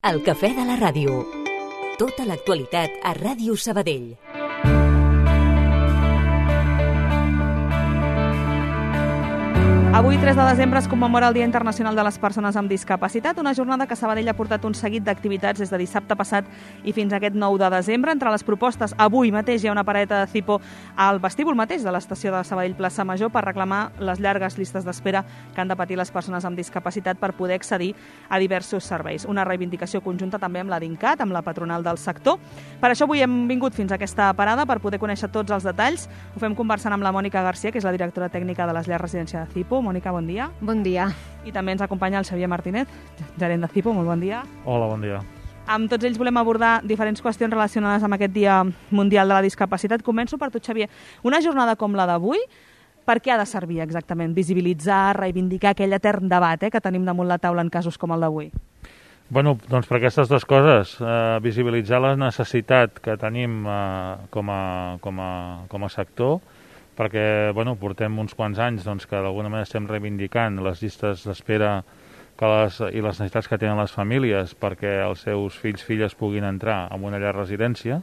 El cafè de la ràdio. Tota l'actualitat a Ràdio Sabadell. Avui, 3 de desembre, es commemora el Dia Internacional de les Persones amb Discapacitat, una jornada que Sabadell ha portat un seguit d'activitats des de dissabte passat i fins a aquest 9 de desembre. Entre les propostes, avui mateix hi ha una pareta de Zipo al vestíbul mateix de l'estació de Sabadell Plaça Major per reclamar les llargues llistes d'espera que han de patir les persones amb discapacitat per poder accedir a diversos serveis. Una reivindicació conjunta també amb la DINCAT, amb la patronal del sector. Per això avui hem vingut fins a aquesta parada per poder conèixer tots els detalls. Ho fem conversant amb la Mònica Garcia, que és la directora tècnica de les llars residència de Zipo. Mònica, bon dia. Bon dia. I també ens acompanya el Xavier Martínez, gerent de Zipo. Molt bon dia. Hola, bon dia. Amb tots ells volem abordar diferents qüestions relacionades amb aquest Dia Mundial de la Discapacitat. Començo per tu, Xavier. Una jornada com la d'avui, per què ha de servir exactament? Visibilitzar, reivindicar aquell etern debat que tenim damunt la taula en casos com el d'avui? Bueno, doncs per aquestes dues coses, visibilitzar la necessitat que tenim com a sector, perquè portem uns quants anys que d'alguna manera estem reivindicant les llistes d'espera i les necessitats que tenen les famílies perquè els seus filles puguin entrar en una llar residència,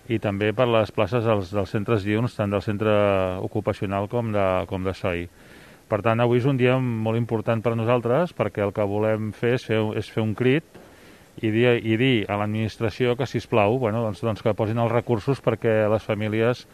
i també per les places dels centres diürns, tant del centre ocupacional com de SOI. Per tant, avui és un dia molt important per a nosaltres, perquè el que volem fer és fer un crit i dir a l'administració que, sisplau, que posin els recursos perquè les famílies,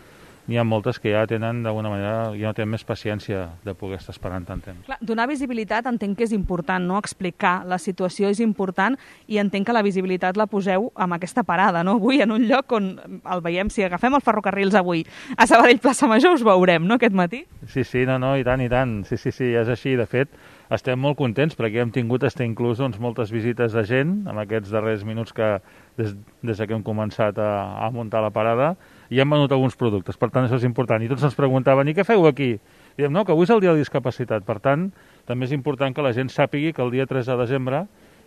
n'hi ha moltes que ja tenen, d'alguna manera, ja no tenen més paciència de poder estar esperant tant temps. Clar, donar visibilitat entenc que és important, no? Explicar la situació és important, i entenc que la visibilitat la poseu amb aquesta parada, no? Avui, en un lloc on el veiem, si agafem els ferrocarrils avui a Sabadell Plaça Major, us veurem, no?, aquest matí? Sí, i tant. Sí, és així. De fet, estem molt contents perquè hem tingut inclús moltes visites de gent en aquests darrers minuts que des que hem començat a muntar la parada, i hem venut alguns productes. Per tant, això és important. I tots ens preguntaven, i què feu aquí? Diem, no, que avui és el dia de la discapacitat. Per tant, també és important que la gent sàpigui que el dia 3 de desembre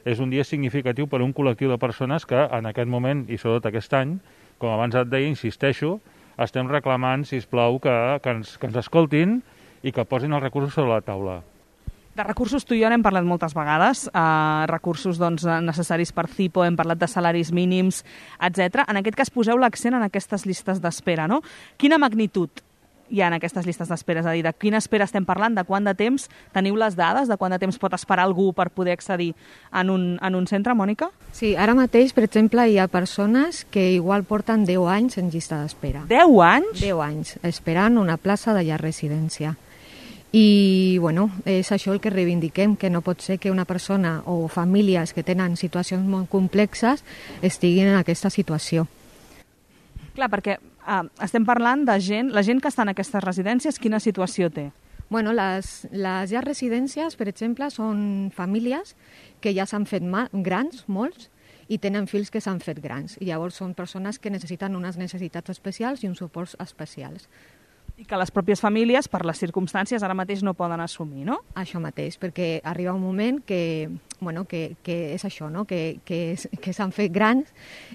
és un dia significatiu per a un col·lectiu de persones que en aquest moment, i sobretot aquest any, com abans et deia, insisteixo, estem reclamant, sisplau, que ens escoltin i que posin els recursos sobre la taula. De recursos tu i jo n'hem parlat moltes vegades, recursos necessaris per Zipo, hem parlat de salaris mínims, etc. En aquest cas poseu l'accent en aquestes llistes d'espera, no? Quina magnitud hi ha en aquestes llistes d'espera? És a dir, de quina espera estem parlant, de quant de temps? Teniu les dades de quant de temps pot esperar algú per poder accedir en un centre, Mònica? Sí, ara mateix, per exemple, hi ha persones que igual porten 10 anys en llista d'espera. 10 anys? 10 anys, esperant una plaça de llar residència. I, és això el que reivindiquem, que no pot ser que una persona o famílies que tenen situacions molt complexes estiguin en aquesta situació. Clar, perquè estem parlant de gent, la gent que està en aquestes residències, quina situació té? Les llars residències, per exemple, són famílies que ja s'han fet grans, molts, i tenen fills que s'han fet grans. I llavors són persones que necessiten unes necessitats especials i uns suports especials. I que les pròpies famílies, per les circumstàncies, ara mateix no poden assumir, no? Això mateix, perquè arriba un moment que és això, no? que s'han fet grans,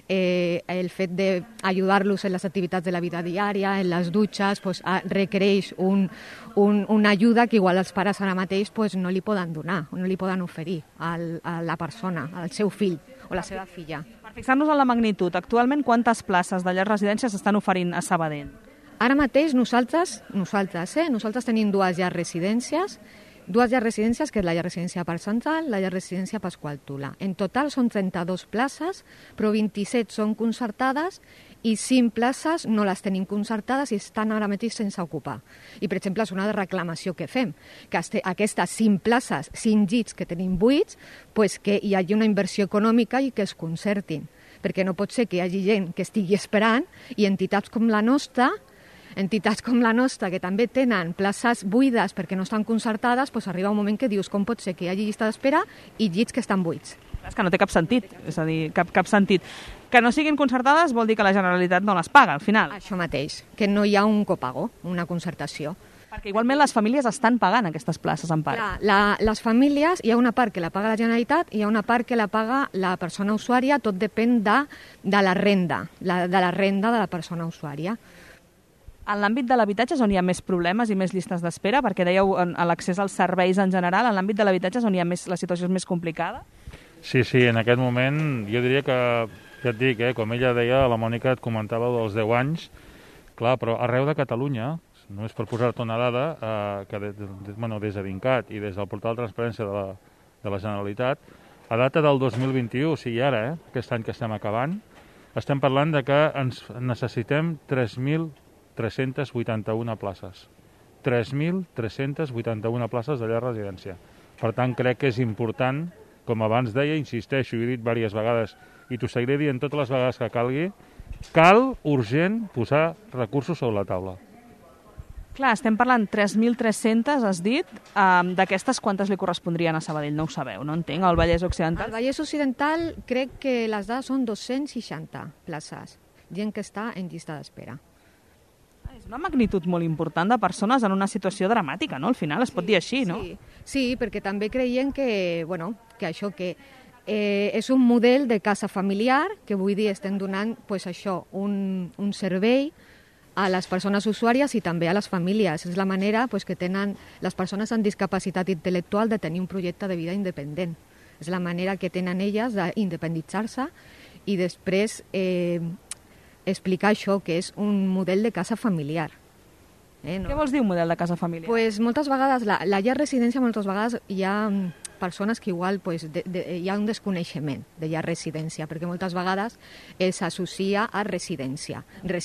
el fet d'ajudar-los en les activitats de la vida diària, en les dutxes, requereix una ajuda que igual els pares ara mateix no li poden donar, no li poden oferir a la persona, al seu fill o la seva filla. Per fixar-nos en la magnitud, actualment quantes places de llars residències s'estan oferint a Sabadell? Ara mateix nosaltres tenim dues llars residències, que és la llar residència Parc Central, la llar residència Pasqual Tula. En total són 32 places, però 27 són concertades i 5 places no les tenim concertades i estan ara mateix sense ocupar. I, per exemple, és una reclamació que fem, que aquestes 5 places, 5 llits que tenim buits, que hi hagi una inversió econòmica i que es concertin, perquè no pot ser que hi hagi gent que estigui esperant i entitats com la nostra, que també tenen places buides perquè no estan concertades, arriba un moment que dius com pot ser que hi hagi llista d'espera i llits que estan buits. És que no té cap sentit, és a dir, cap sentit. Que no siguin concertades vol dir que la Generalitat no les paga, al final. Això mateix, que no hi ha un copago, una concertació. Perquè igualment les famílies estan pagant aquestes places en part. Les famílies, hi ha una part que la paga la Generalitat i hi ha una part que la paga la persona usuària, tot depèn de la renda, de la persona usuària. En l'àmbit de l'habitatge és on hi ha més problemes i més llistes d'espera, perquè dèieu a l'accés als serveis en general, en l'àmbit de l'habitatge és on hi ha la situació és més complicada? Sí, en aquest moment jo diria que et dic, com ella deia, la Mònica et comentava dels 10 anys, clar, però arreu de Catalunya, només per posar-te una dada, que des de DINCAT i des del portal de transparència de la Generalitat, a data del 2021, o sigui ara, aquest any que estem acabant, estem parlant de que ens necessitem 3.381 places. 3.381 places de llar residència. Per tant, crec que és important, com abans deia, insisteixo, i he dit diverses vegades, i t'ho seguiré dient totes les vegades que calgui, cal, urgent, posar recursos sobre la taula. Clar, estem parlant 3.300, has dit. D'aquestes, quantes li correspondrien a Sabadell? No ho sabeu, no entenc. Al Vallès Occidental? Al Vallès Occidental crec que les dades són 260 places, gent que està en llista d'espera. És una magnitud molt important de persones en una situació dramàtica, no? Al final es pot dir així, no? Sí, perquè també creiem que, que això és un model de casa familiar, que vull dir, estem donant un servei a les persones usuàries i també a les famílies. És la manera que tenen les persones amb discapacitat intel·lectual de tenir un projecte de vida independent. És la manera que tenen elles d'independitzar-se i després explicar això, que és un model de casa familiar. Què vols dir un model de casa familiar? Pues moltes vegades, la llar residència, moltes vegades hi ha persones que igual hi ha un desconeixement de llar residència, perquè moltes vegades s'associa a residència de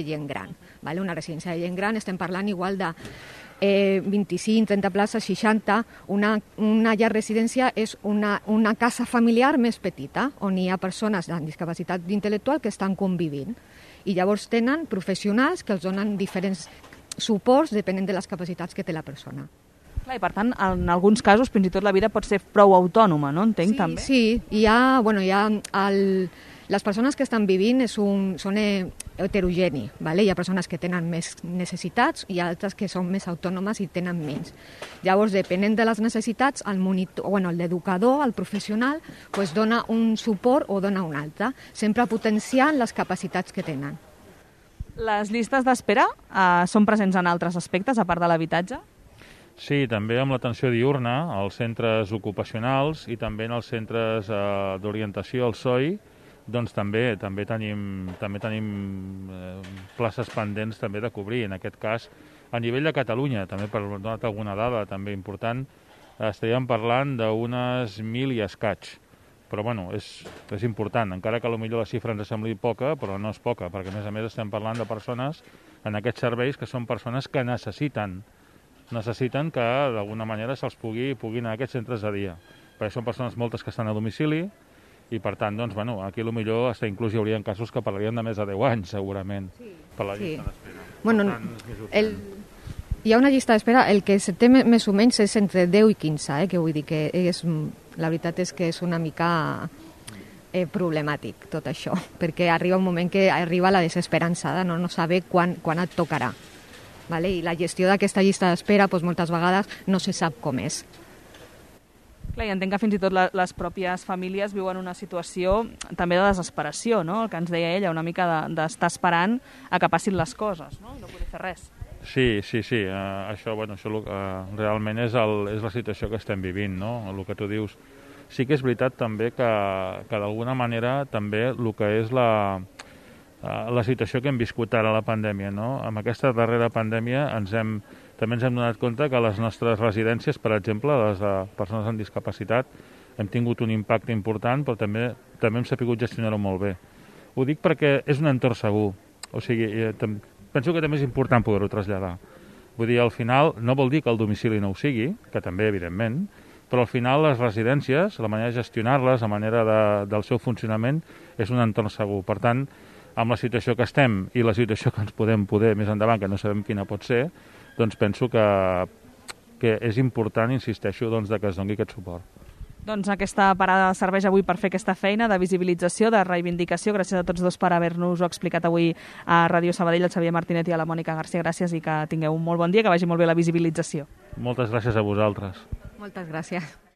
gent gran. Vale? Una residència de gent gran, estem parlant igual de 25, 30 places, 60. Una llar residència és una casa familiar més petita, on hi ha persones amb discapacitat intel·lectual que estan convivint. I llavors tenen professionals que els donen diferents suports depenent de les capacitats que té la persona. Clar, i per tant, en alguns casos, fins i tot la vida pot ser prou autònoma, no? Entenc, també. Sí, les persones que estan vivint són heterogeni, ¿vale? Hi ha persones que tenen més necessitats i altres que són més autònomes i tenen menys. Llavors, depenent de les necessitats, l'educador, el professional, dona un suport o dona un altre, sempre potenciant les capacitats que tenen. Les llistes d'espera són presents en altres aspectes, a part de l'habitatge? Sí, també amb l'atenció diürna, als centres ocupacionals i també en els centres d'orientació, el SOI, doncs també tenim places pendents també de cobrir. En aquest cas, a nivell de Catalunya, també per donar alguna dada també important, estaríem parlant d'unes 1.000 i escaig. Però bueno, és important, encara que potser la xifra ens sembli poca, però no és poca, perquè a més estem parlant de persones en aquests serveis que són persones que necessiten que d'alguna manera se'ls puguin a aquests centres de dia. Perquè són persones moltes que estan a domicili i per tant, doncs, aquí potser inclús hi haurien casos que parlarien de més de 10 anys, segurament, per la llista d'espera. Hi ha una llista d'espera, el que se té més o menys és entre 10 i 15, que vull dir que la veritat és que és una mica problemàtic tot això, perquè arriba un moment que arriba la desesperança de no saber quan et tocarà. Vale? I la gestió d'aquesta llista d'espera moltes vegades no se sap com és. Clar, i entenc que fins i tot les pròpies famílies viuen una situació també de desesperació, no? El que ens deia ella, una mica d'estar esperant a que passin les coses, no? I no poder fer res. Sí. Això realment és la situació que estem vivint, no? El que tu dius. Sí que és veritat també que d'alguna manera també el que és la situació que hem viscut ara, la pandèmia, no? Amb aquesta darrera pandèmia també ens hem donat compte que les nostres residències, per exemple, les de persones amb discapacitat, hem tingut un impacte important, però també hem sabut gestionar-ho molt bé. Ho dic perquè és un entorn segur. O sigui, penso que també és important poder-ho traslladar. Vull dir, al final, no vol dir que el domicili no ho sigui, que també, evidentment, però al final les residències, la manera de gestionar-les, la manera del seu funcionament, és un entorn segur. Per tant, amb la situació que estem i la situació que ens podem poder més endavant, que no sabem quina pot ser, doncs penso que és important, insisteixo, que es doni aquest suport. Doncs aquesta parada serveix avui per fer aquesta feina de visibilització, de reivindicació. Gràcies a tots dos per haver-nos-ho explicat avui a Ràdio Sabadell, al Xavier Martinet i a la Mònica García. Gràcies i que tingueu un molt bon dia, que vagi molt bé la visibilització. Moltes gràcies a vosaltres. Moltes gràcies.